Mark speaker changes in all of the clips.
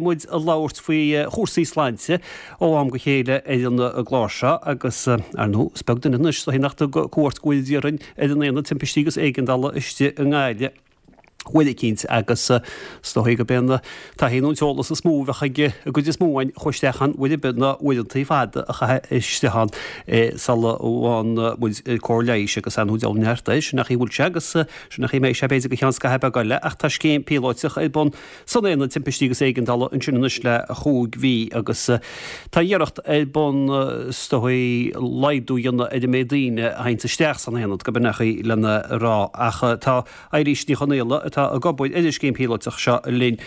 Speaker 1: muid ag labhairt faoi chúrsaí sláinte ó am go chéile ar an gclár seo agus, ar ndóigh, is beag duine anois is dóichí nach dtug cuairt go bhfuil déarfainn ar an Aonad Timpistí agus Éigeandála istigh i nGaillimh uair eicínt agus is dóichí gurb é an taithí nó an t-eolas is mó a bheadh ag an gcuid is mó againn a chuaigh isteach ann uair ar bith ná uaireantaí fada a chaitheamh istigh ann sula bhfaigheann muid cóir leighis agus ar ndóigh deabhal neart air, sin an chaoi a bhfuil sé agus sin an chaoi a mbeidh sé b'fhéidir go ceann scaitheamh beag eile ach tá scéim píolóiteach ar bun san Aonad Timpistí agus Éigeandála ansin anois le chúig mhí agus tá iarracht ar bun is dóigh laghdú a dhéanamh ar an méid daoine a théanns isteach san aonad, gurb in é an chaoi lena rá. Ach tá Eilís Ní Chonaola, atá ag obair ar an scéim phíolóiteach seo linn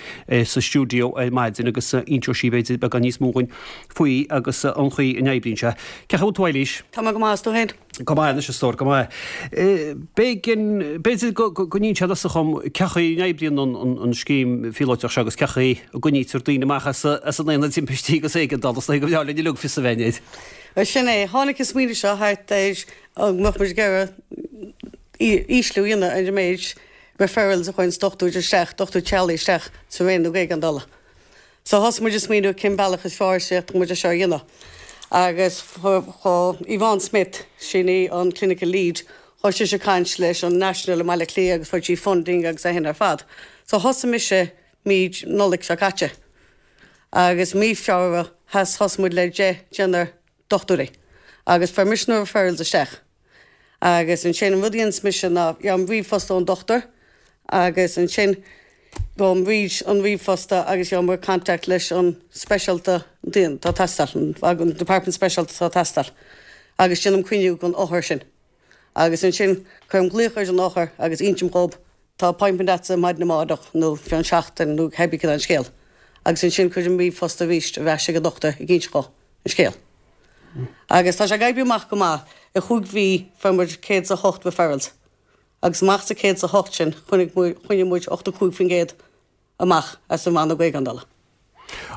Speaker 1: sa stiúideo ar maidin agus inseoidh sí b'fhéidir beagán níos mó dhúinn faoi agus an chaoi a n-oibríonn sé. Cén chaoi a bhfuil tú Eilís?
Speaker 2: Tá mé go maith, is tú féin?
Speaker 1: Go maith anois a stór, go maith. B'éigean, b'fhéidir go n-inseofá dhom cén chaoi a n-oibríonn an scéim phíolóiteach seo agus cén chaoi a gcoinnítear daoine amach as an aonad timpistí agus éigeandála, is dóigh go mbreá linn uilig fios a bheith air.
Speaker 2: Bhuel sin é, tháinig an smaoineamh seo thart ar go mbeadh muid ag iarraidh ísliú a dhéanamh ar an méid referrals a chuireanns dochtúir isteach, dochtúir teaghlaigh isteach sa rannóg éigeandála. So thosaigh muid ag smaoineamh cén bealach is fearr is fhéadfadh muid é seo a dhéanamh. Agus chuaigh Yvonne Smith, sin í an clinical lead, chuaigh sise ag caint leis an National i mBaile Átha Cliath agus fuair sí funding agus é sin ar fad. So thosaigh mise mí Nollaig seo caite. Agus mí Feabhra thosaigh muid le 10 deichniúr dochtúirí agus fuair mise na referrals isteach. Agus ansin an rud a dhéanas mise ná gheobhaim ríomhphost ón dochtúir agus ansin gabhaim thríd an ríomhphost agus gheobhaim contact leis an speisialta atá ag teastáil, an department speisialta atá ag teastáil agus déanaim cruinniú don othar sin. Agus ansin cuirim glaoch ar an othar agus insim dhób tá appointment agatsa maidin amárach nó fén seachtain nó cébí cad é an scéal. Agus ansin cuirim ríomhphost arís ar ais ag an dochtúir ag inse dhó an scéal. Agus tá sé ag oibriú amach go maith. I chúig mhí fuair muid 108 referrals. Agus amach sa 108 sin choinnigh muid, choinnigh muid 85% amach as an rannóg éigeandála.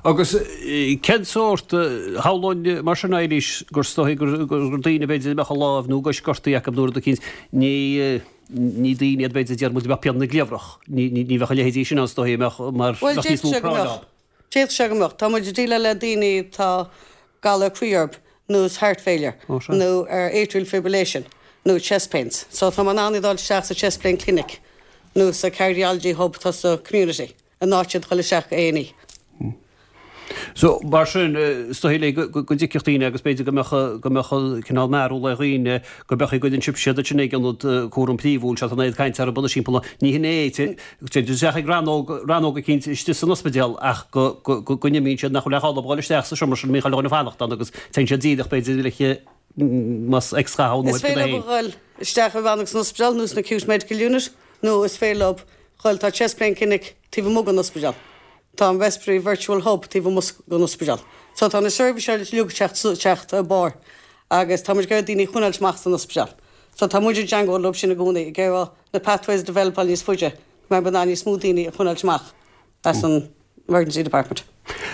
Speaker 1: Agus cén sórt, shamhlóinn mar sin Eilís, gur is dóichí gur daoine b'fhéidir a mbeadh a lámh nó a gcois gortaithe acu nó rud eicínt, ní, ní daoine iad b'fhéidir a déarfadh muid a mbeadh pian na gcliabhrach. Ní, ní bheadh a leithéidí sin ann is dóichí a mbeadh mar
Speaker 2: Bhuel,
Speaker 1: bheadh níos
Speaker 2: d'fhéadfadh
Speaker 1: mó
Speaker 2: sé go
Speaker 1: práinn
Speaker 2: mbeadh.
Speaker 1: ann.
Speaker 2: D'fhéadfadh sé go mbeadh. Tá muid ag déileáil le daoine atá galar croí orthu nó is heart failure nó ar atrial fibrillation nó chest pains. So tá mé in ann iad a fháil isteach sa chest pain clinic nó sa cardiology hub atá sa community in áit iad a dhul isteach go A&E.
Speaker 1: So mar sin is dóigh léi go dtiocfadh daoine agus b'fhéidir go mbeadh go mbeadh cineál mearbhall ar dhaoine go mbeadh go dtuigeann sibh siad ansin ag ionad cúram príomhúil seo tá an oiread cainte orthu anois timpeall ní hin é Téann siad isteach ag rannóg, rannóg eicínt istigh san ospidéal ach go, go, go n-imíonn siad nach bhfuil aon chall orthu dhul isteach sa seomra sin a mbíonn chuile dhuine ag fanacht ann agus téann siad díreach b'fhéidir le más x-gha nó
Speaker 2: Is féidir leo a dhul isteach i rannóg san ospidéal nó san acute medical unit nó is féidir leo dhul, tá chest pain clinic taobh amuigh den ospidéal, tá an respiratory virtual hub taobh amuigh den ospidéal. So tá na seirbhísí uilig ag teacht ar barr agus tá muid ag iarraidh daoine a choinneáilt amach san ospidéal. So tá muid i dteangmháil leo sin i gcónaí ag iarraidh na pathways a developáil níos faide go mbeidh muid in ann níos mó daoine a choinneáilt amach as an emergency department.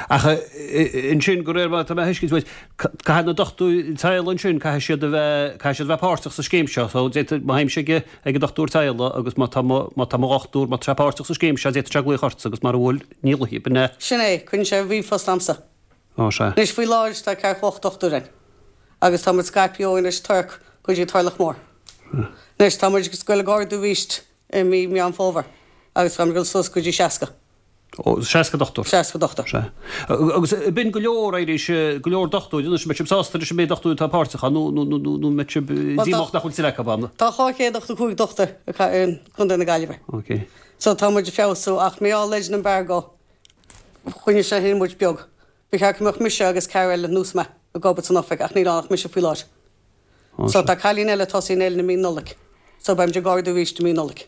Speaker 1: Ach ansin, de réir mar atá mé a thuiscint uait, caithfidh na dochtúirí teaghlaigh ansin, caithfidh siad a bheith, caithfidh siad a bheith páirteach sa scéim seo. So d'fhéadfadh, má théimse ag, ag an dochtúir teaghlaigh agus má tá mo, má tá mo dhochtúir, má tá sé páirteach sa scéim seo, d'fhéadfadh sé glaoch ortsa agus mara bhfuil, ní ghlaofaidh, b'in é.
Speaker 2: Sin é, cuireann sé ríomhphost a'msa.
Speaker 1: Ó, sea.
Speaker 2: Anois faoi láthair tá ceathracha 8 dochtúir ann agus tá muid scaipthe ó Inis Toirc go dtí Turlach Mór. Anois tá muid ag goil ag ardú arís i mí Meán Fómhair agus tá muid ag dul suas go dtí 60.
Speaker 1: Ó, 60 dochtúir.
Speaker 2: 60 dochtúir.
Speaker 1: Sea. Agus b'in go leor, Eilís, go leor dochtúir anois, an mbeidh sibh sásta leis an méid dochtúir atá páirteach ann nó, nó, nó, nó an mbeidh sibh díomách nach bhfuil tuilleadh acu ann?
Speaker 2: Tá 285 dochtúir i gContae na Gaillimhe.
Speaker 1: Ok.
Speaker 2: So tá muid ag feabhsú ach mar gheall ar an embargo Choinnigh sé sin muid beag. Ba cheart go mbeadh mise agus ceathrar eile ar nós mé ag obair san oifig ach níl ann ach mise faoi láthair. So tá cailín eile ag tosaí in Éirinn i mí Nollag. So beimid ag ardú arís i mí Nollag.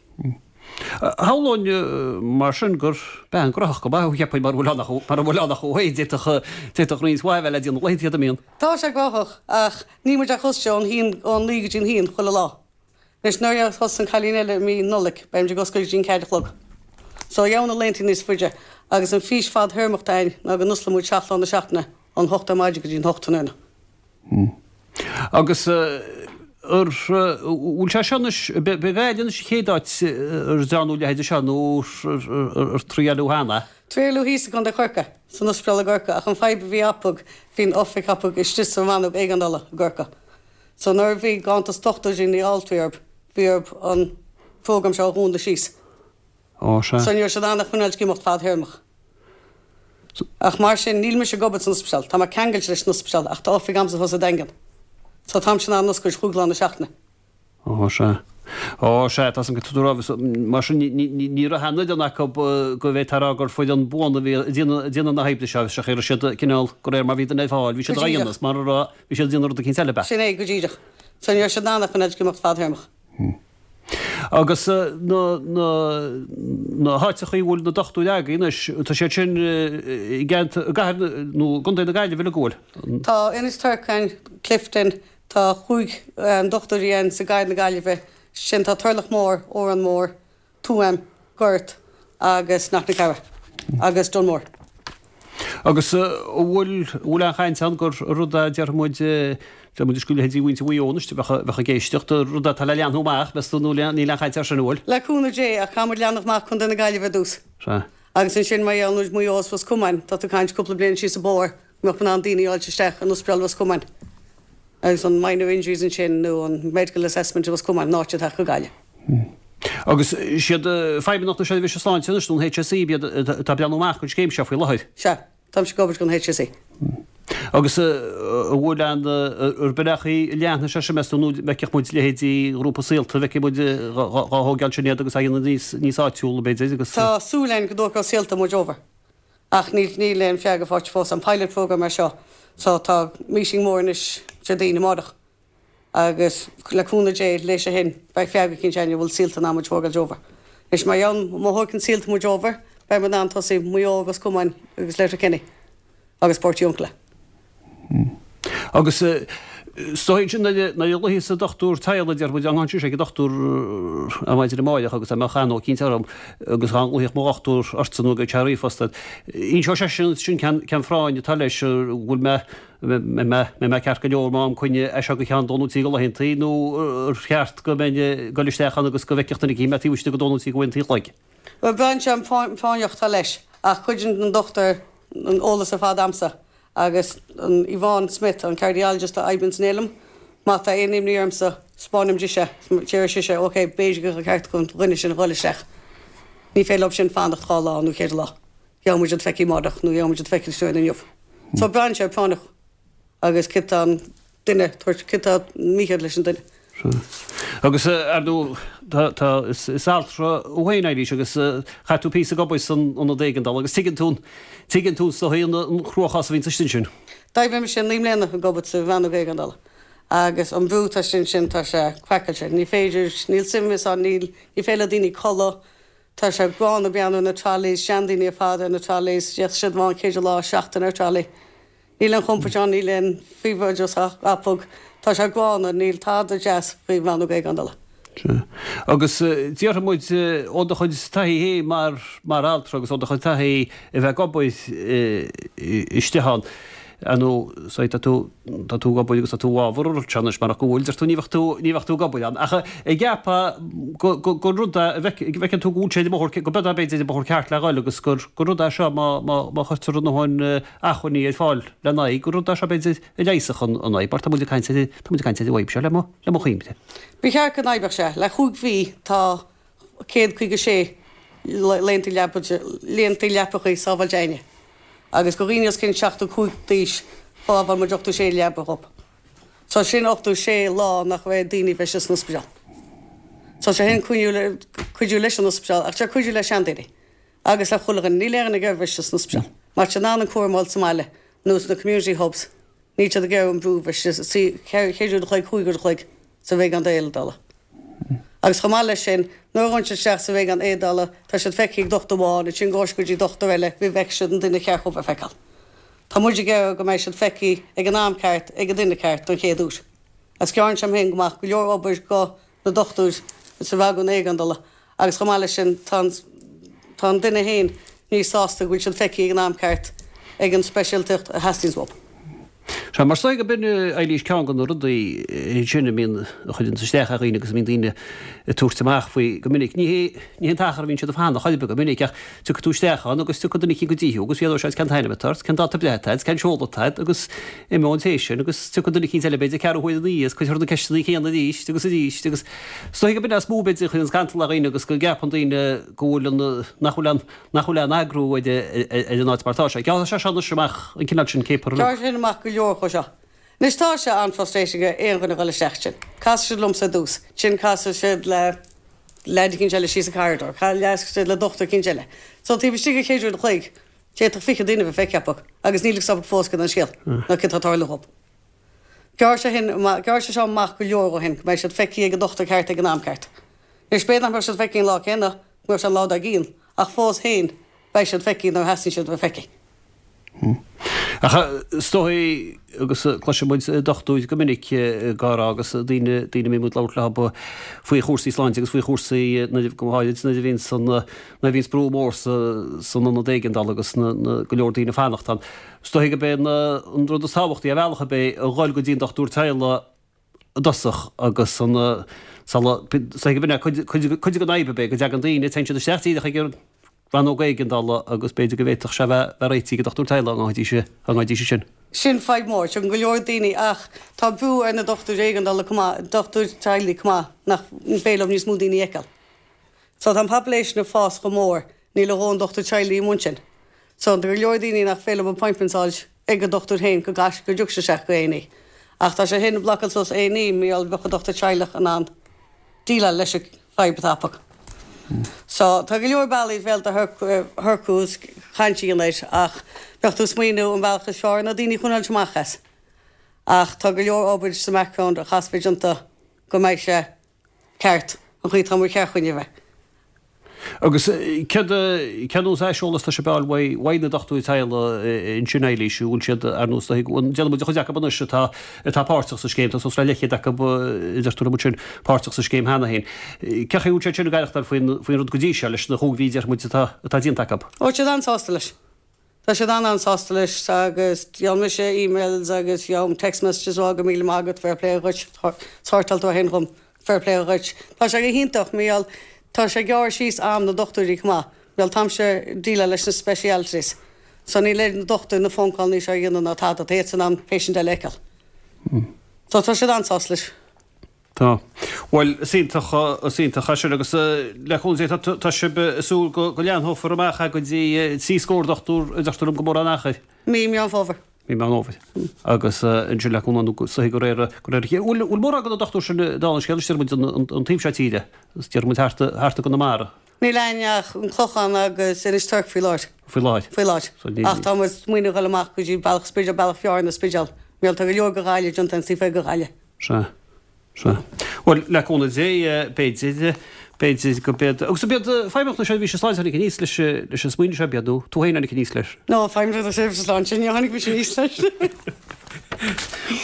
Speaker 1: Shamhlóinn mar sin gur bean gnóthach go maith thú cheapfainn mara bhfuil ann ach mara bhfuil ann ach thú féin d'fhéadfadh d'fhéadfadh roinnt mhaith a bheith le déanamh laethanta iad a mbíonn.
Speaker 2: Tá sé gnóthach ach níl muid ach oscailte ón haon ón naoi go dtí an haon chuile lá. Anois nuair a thosaíonn an cailín eile i mí Nollag beimid ag oscailt go dtí an ceathair a chlog. So gheobhaidh na laethanta níos faide agus an fís fad-théarmach atá againn ná go n-osclóidh muid seacht lá na seachtaine ón hocht ar maidin go dtí an hocht tráthnóna.
Speaker 1: Agus. Ar bhfuil sé seo anois, b'é Gaillimh anois an chéad áit ar dearnadh a leithéid seo nó ar triaileadh cheana?
Speaker 2: Triaileadh thíos i gContae Chorcaí, san ospidéal i gCorcaigh, ach an fadhb a bhí acu, bhí an oifig acu istigh sa rannóg éigeandála i gCorcaigh. So nuair a bhí ganntanas dochtúirí nó altraí orthu, bhí orthu an program seo a dhúnadh síos.
Speaker 1: Ó, sea.
Speaker 2: So ní raibh siad in ann a choinneáilt ag imeacht fadthéarmach. Ach mar sin, níl mise ag obair san ospidéal, tá mé ceangailte leis an ospidéal ach tá oifig a'msa thuas sa Daingean. So táimse in ann oscailt chúig lá na seachtaine.
Speaker 1: Ó, sea. Ó, sea, tá san go raibh, mar sin ní raibh aon fhoireann acu go bhféadfá a rá gur foireann buan a bhí ag déanamh na hoibre seo, sea, raibh siad cineál, de réir mar bhí duine ar fáil, bhí siad á dhéanamh, is mara raibh, bhí siad ag déanamh rud eicínt eile, ab ea?
Speaker 2: Sin é, go díreach. So ní raibh siad in ann a choinneáilt ag imeacht fadthéarmach.
Speaker 1: Agus na na háiteachaí a bhfuil na dochtúirí agaibh anois, tá siad sin i gceantar, i gcathair nó i gcontae na Gaillimhe uilig, an bhfuil?
Speaker 2: Tá Inis Torcáin, Clifden, tá chúig dochtúirí ann sa gcathair na Gaillimhe, sin tá Turlach Mór, Órán Mór, Tuaim, Gort agus Knocknacarra agus Dunmore.
Speaker 1: Agus an bhfuil, an bhfuil aon chaint ann gur rud é, déarfaidh muid, déarfaidh muid is go leithéidí mhuintir Mhaigh Eo anois a bheadh, bheadh ag éisteacht, rud é atá le leathnú amach, meas tú, nó níl aon chaint air sin, an bhfuil?
Speaker 2: Le cúnamh Dé, ach caithfidh muid leathnú amach Contae na Gaillimhe ar dtús.
Speaker 1: Sea.
Speaker 2: Agus ansin mar gheall ar Mhaigh Eo is Ros Comáin, tá tú ag caint cúpla bliain síos an bóthar, go mbeadh in ann daoine a fháilt isteach in Ospidéal Ros Comáin agus an minor injuries ansin nó an medical assessment i Ros Comáin in áit a theacht go Gaillimh.
Speaker 1: Agus siad Feidhmeannacht na Seirbhíse Sláinte anois nó an HSE ab iad atá ag breathnú amach don scéim seo faoi láthair?
Speaker 2: Sea, táimse ag obair don HSE.
Speaker 1: Agus an bhfuil aon, ar bealach leathnóidh sé sin meas tú nó bhfeicfeadh muid leithéidí ghrúpa Saolta, bhfeicfidh muid dhá thógáil sin iad agus á dhéanamh níos níos áitiúla b'fhéidir agus.
Speaker 2: Tá súil againn go dtógfaidh Saolta muid over ach níl níl aon freagra faighte fós. An pilot program é seo so tá meeting mór anois Déardaoin amárach. Agus le cúnamh Dé, leis sin, beidh freagra eicínt againn an bhfuil Saolta in ann muid a thógáilt over. Anois, mar gheall, má thóigeann Saolta muid over, beidh muid in ann tosaí Maigh Eo, Ros Comáin agus Letterkenny agus Portiuncula.
Speaker 1: Agus is dóigh ansin nuair a ghlaofaidh an dochtúir teaghlaigh, déarfaidh muid, dá nglaofaidh sé ag an dochtúir ar maidin amáireach agus dá mbeadh anó eicínt orm agus dá nglaofaidh mo dhochtúir ortsa nó go sé ríomhphost ort, inseoidh seisean sin cén phráinn atá leis, an bhfuil mé Mbeidh mé ceart go leor má fhaighim coinne as seo go ceann dó nó trí de laethantaí nó ar cheart go mbeinn ag dul isteach ann agus go bhfeicfeadh duine eicínt mé taobh istigh de dó nó trí de laethantaí a chloig.
Speaker 2: Bhuel, braitheann sé an phráinneacht atá leis ach cuireann an dochtúir an eolas ar fad a'msa agus an Yvonne Smith, an cardiologist a oibríonn san Fheilm, má tá aon imní ormsa, 'spáinim dise, déarfaidh sise, ok, b'fhéidir gur ceart don dhuine sin a dhul isteach. Ní féidir leo sin fanacht dhá lá nó cheithre lá. Gheobhaidh muid iad feicthe amárach nó gheobhaidh muid iad feicthe ansin inniu. So braitheann sé ar práinneach agus céard tá an duine tabhairt, céard tá mícheart leis an duine.
Speaker 1: Sea. Agus ar ndóigh tá, tá, is altra thú féin Eilís agus chaith tú píosa ag obair san ionad éigeandála agus tuigeann tú, tuigeann tú is dóigh an cruachás a bhíonn istigh ansin.
Speaker 2: D'oibrigh mise 9 mbliana ag obair sa rannóg éigeandála agus an brú atá istigh ansin tá sé craiceáilte. Ní féidir, níl suaimhneas ann, níl, ní féidir le daoine codladh, Tá sé gránna breathnú ar na trolleys, seandaoine ar fad ar na trolleys, d'fhéadfadh siad bheith ann ceithre lá seachtain ar trolley. Níl aon chompord ann, níl aon phríobháideachas acu. Tá sé gránna, níl tada deas faoi rannóg éigeandála.
Speaker 1: Sea. Agus déarfaidh muid ó do chuid taithí féin mar mar altra agus ó do chuid taithí a bheith ag obair istigh ann, ar ndóigh, so tá tú, tá tú ag obair agus tá tú i bhfabhar an rud seo anois, marach go bhfuil, deir tú, ní bheadh tú, ní bheadh tú ag obair ann. Ach an gceapfá go, go, gur rud é, an bhfeiceann tú go bhfuil sé ar an mbóthar, go b'fhéidir b'fhéidir ar an mbóthar ceart le dhul agus gur, gur rud é seo má, má, má chuirtear a ndóthain acmhainní ar fáil lena aghaidh, gur rud é seo b'fhéidir a leigheasfadh an, an fhadhb, mar tá muid ag caint ar, tá muid ag caint ar an bhfadhb seo le mo, le mo chuimhne.
Speaker 2: Ba cheart go n-oibreodh sé. Le chúig mhí tá 156 laethanta laethanta leapacha sábháilte againne agus do dhaoine os cionn 75 d'aois shábháil muid 86 leaba dhób. So sin 86 lá nach raibh daoine bheith istigh san ospidéal. So sé sin cuidiú leis an ospidéal ach sé cuidiú le seandaoine agus le chuile dhuine. Níl aon dhuine ag iarraidh bheith istigh san ospidéal. Má tá siad in ann an cúram a fháil sa mbaile nó sna community hubs níl siad ag iarraidh an brú bheith istigh ceithre uair a chloig, chúig uair a chloig sa rannóg éigeandála. Agus chomh maith leis sin, nuair a ghabhann siad isteach sa rannóg éigeandála, tá siad feicthe ag dochtúir amháin, ansin gabhfaidh siad go dtí dochtúir eile, roimh bhfeicfidh siad an duine cheart chun a feiceáil. Tá muid ag iarraidh go mbeidh siad feicthe ag an am ceart, ag an duine ceart, don chéad uair. Agus gearrann sé sin go maith go leor obair go na dochtúir sa rannóg éigeandála agus chomh maith leis sin, tá an tá an duine féin níos sásta go bhfuil siad feicthe ag an am ceart ag an speisialtacht a theastaíonns uathu.
Speaker 1: Sea, mar is dóigh gurb in, Eilís, ceann de na rudaí sin a mbíonn, a chuireanns isteach ar dhaoine agus a mbíonn daoine ag tabhairt amach faoi go minic. Ní hé, ní hé an t-achar a bhíonn siad ag fanacht chor ar bith go minic ach tiocfaidh tú isteach ann agus tiocfaidh duine eicínt go dtí thú agus fiafróidh sé cén t-ainm atá ort, cén dáta breithe atá agat, cén seoladh atá agat agus imeoidh an té sin agus tiocfaidh duine eicínt eile b'fhéidir ceathrú huaire ina dhiaidh agus cuirfear na ceisteanna céanna arís agus arís agus is dóigh gurb in é is mó b'fhéidir a chuireanns cantal ar dhaoine agus go gceapann daoine go bhfuil an, nach bhfuil an, nach bhfuil aon eagrú ar an áit mar atá sé. Gearrfaidh sé seo anois amach an cineál sin céapar.
Speaker 2: Gearrfaidh sé sin amach go leor chomh seo. Anois tá sé an-frustrating do aon dhuine a dhul isteach ansin. Casfaidh siad liomsa ar dtús, ansin casfaidh siad le leaid eicínt eile síos an corridor, casfaidh siad le dochtúir eicínt eile. So taobh istigh de chéad uair an chloig, d'fhéadfadh 20 duine a bheith feicthe acu agus níl a fhios acu fós cad é an scéal nó cad tá ag tarlú dhób. Gearrfaidh sé shin amach, gearrfaidh sé seo amach go leor dhó shin go mbeidh siad feicthe ag an dochtúir ceart ag an am ceart. Anois b'fhéidir nach mbeadh siad feicthe an lá céanna, go mbeadh sé an lá dár gcionn, ach fós féin, beidh siad feicthe nuair a theastaíonn siad a bheith feicthe.
Speaker 1: Ach is dóigh, agus cloiseann muid dochtúir go minic ag rá agus daoine, daoine a mbíonn muid ag labhairt leo faoi chúrsaí sláinte agus faoi chúrsaí nuair, go háirid nuair a bhíonns an, nuair a bhíonns brú mór sa, san ionad éigeandála agus na, na, go leor daoine ag fanacht ann. Is dóigh gurb é an, an rud is tábhachtaí ar bhealach ar bith a dhul go dtí an dochtúir teaghlaigh i dtosach agus an sula is dóigh gurb in é cuid, cuid, cuid den fhadhb ab é go dtagann daoine, téann siad isteach díreach ag an rannóg éigeandála agus b'fhéidir go bhféadfadh sé a bheith, bheith réitithe ag an dochtúir teaghlaigh dá ngabhfaidís, dá ngabhfaidís ansin.
Speaker 2: Sin fadhb mhór. Tagann go leor daoine ach tá brú ar na dochtúirí éigeandála chomh maith, dochtúir teaghlaigh chomh maith, nach féidir leo níos mó daoine a fheiceáil. So tá an population ag fás chomh mór, níl a dhóthain dochtúir teaghlaigh amuigh ansin. So tá go leor daoine nach féidir leo appointments a fháil ag an dochtúir féin go gcaithfidh go dtiocfaidh siad isteach go A&E. Ach tá sé shin ag blocáil suas A&E mar gheall bheadh an dochtúir teaghlach in ann déileáil leis an fadhb atá acu. So tá go leor bealaí is féidir shorcú is caint a dhéanamh air ach bheadh tú ag smaoineamh an bealach is fearr ná daoine a choinneáilt amach as. Ach tá go leor obair sa mbackground a chaithfeas bheith déanta go mbeidh sé ceart, an chaoi atá mar cheart chugainn a bheith.
Speaker 1: Agus céard, cén nós aiseolas atá sibh a fháil uaidh, uaidh na dochtúirí teaghlaigh ansin, Eilís, an bhfuil siad ar nós, an déanann muid an chuid acu anois atá, atá páirteach sa scéim, tá suas le leithchéad acu, a deir tú liom ansin, páirteach sa scéim cheana féin. Cén chaoi a bhfuil siad sin ag aireachtáil faoin, faoin rud go dtí seo, leis na chúig mhí, déarfaidh muid, atá, atá déanta acu?
Speaker 2: Ó, tá siad an-sásta leis. Tá siad an-an-sásta leis agus gheobhaidh mise emails agus gheobhaim text messages ó go míle maith agat, fair play dhuit, shórtáil tú é shin dhom, fair play dhuit. Tá sé go hiontach mar gheall tá sé ag gearradh síos am na dochtúirí chomh maith, mar gheall táimse ag déileáil leis na specialities so níl ar na dochtúirí na phone call-anna seo a dhéanamh ná tada, tá iadsan in ann patient eile a fheiceáil. So tá siad an-sásta leis.
Speaker 1: Tá. Bhuel, is iontach, is iontach é sin agus le cúnamh Dé tá sibh ag súil go leathnófar amach é go dtí 3 scór dochtúr a deirtear liom gan mórán achair.
Speaker 2: Mí Meán Fómhair.
Speaker 1: Mí Meán Fómhair. Agus ansin le cúnamh nó soithigh go réir go réir a chéile. Bhfuil bhfuil mórán de na dochtúir sin dála an scéil, is déarfaidh muid an taobh seo tíre, is déarfaidh muid thart thart i gConamara.
Speaker 2: Níl againn ach an Clochán agus Inis Toirc faoi láthair.
Speaker 1: Faoi láthair.
Speaker 2: Faoi láthair. Ach tá muid ag smaoineamh dhul amach go dtí Bealach Spidéal, Bealach Fearna, Spidéal. Mar tá go leor go Ghaillimh déanta an taobh go Ghaillimh.
Speaker 1: Sea. Sea. Bhuel, le cúnamh Dé, b'fhéidir, b'fhéidir go b'iad, agus ab iad Feidhmeannacht na Seirbhíse Sláinte a tháinig aníos leis, leis an smaoineamh seo, ab iad, nó tú féin a tháinig aníos leis?
Speaker 2: No, Feidhmeannacht na Seirbhíse Sláinte, ní tháinig mise aníos leis.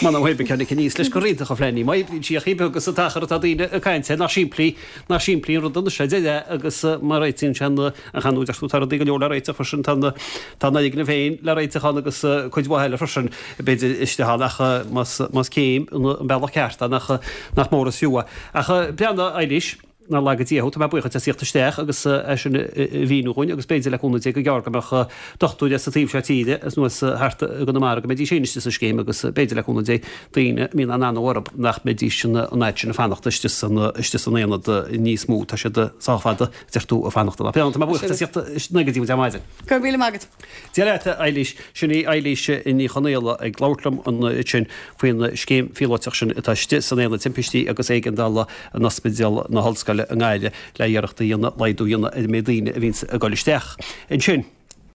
Speaker 1: M'anam pé bith cé tháinig aníos leis gur iontach an phlean í. Má oibríonn sí ach oiread agus an t-achar atá daoine ag caint air, nach simplí, nach simplí an rud anois é, deir é, agus má réitíonn sé an, an chanúint, ach tá rudaí go leor le réiteach freisin, tá na, tá an fhoirgneamh féin le réiteach ann agus cuid mhaith eile freisin, b'fhéidir, istigh ann ach más, más céim an bealach ceart é nach, nach mór is fiú é. Ach breathnaigh, Eilís, nár laga Dia thú, tá mé buíoch duit as theacht isteach agus é sin a mhíniú dhúinn agus b'fhéidir le cúnamh Dé go gearr go mbeadh dochtúir as an taobh seo tíre as nó as thart i gConamara go mbeidís féin istigh sa scéim agus b'fhéidir le cúnamh Dé daoine a mbíonn an-anó orthu nach mbeidís an fhad sin ag fanacht istigh san, istigh san aonad níos mó. Tá siad sách fada, deir tú, ag fanacht ann. Tá mé buíoch duit as theacht isteach go dtí muid ar maidin.
Speaker 2: Go raibh míle maith agat.
Speaker 1: Dia leat, a Eilís. Sin í Eilís Ní Chonaola ag labhairt liom ansin faoin scéim phíolóiteach sin atá istigh san Aonad Timpistí agus Éigeandála in Ospidéal na hOllscoile i nGaillimh le iarracht a dhéanamh laghdú a dhéanamh ar an méid daoine a bhíonns ag dul isteach ansin.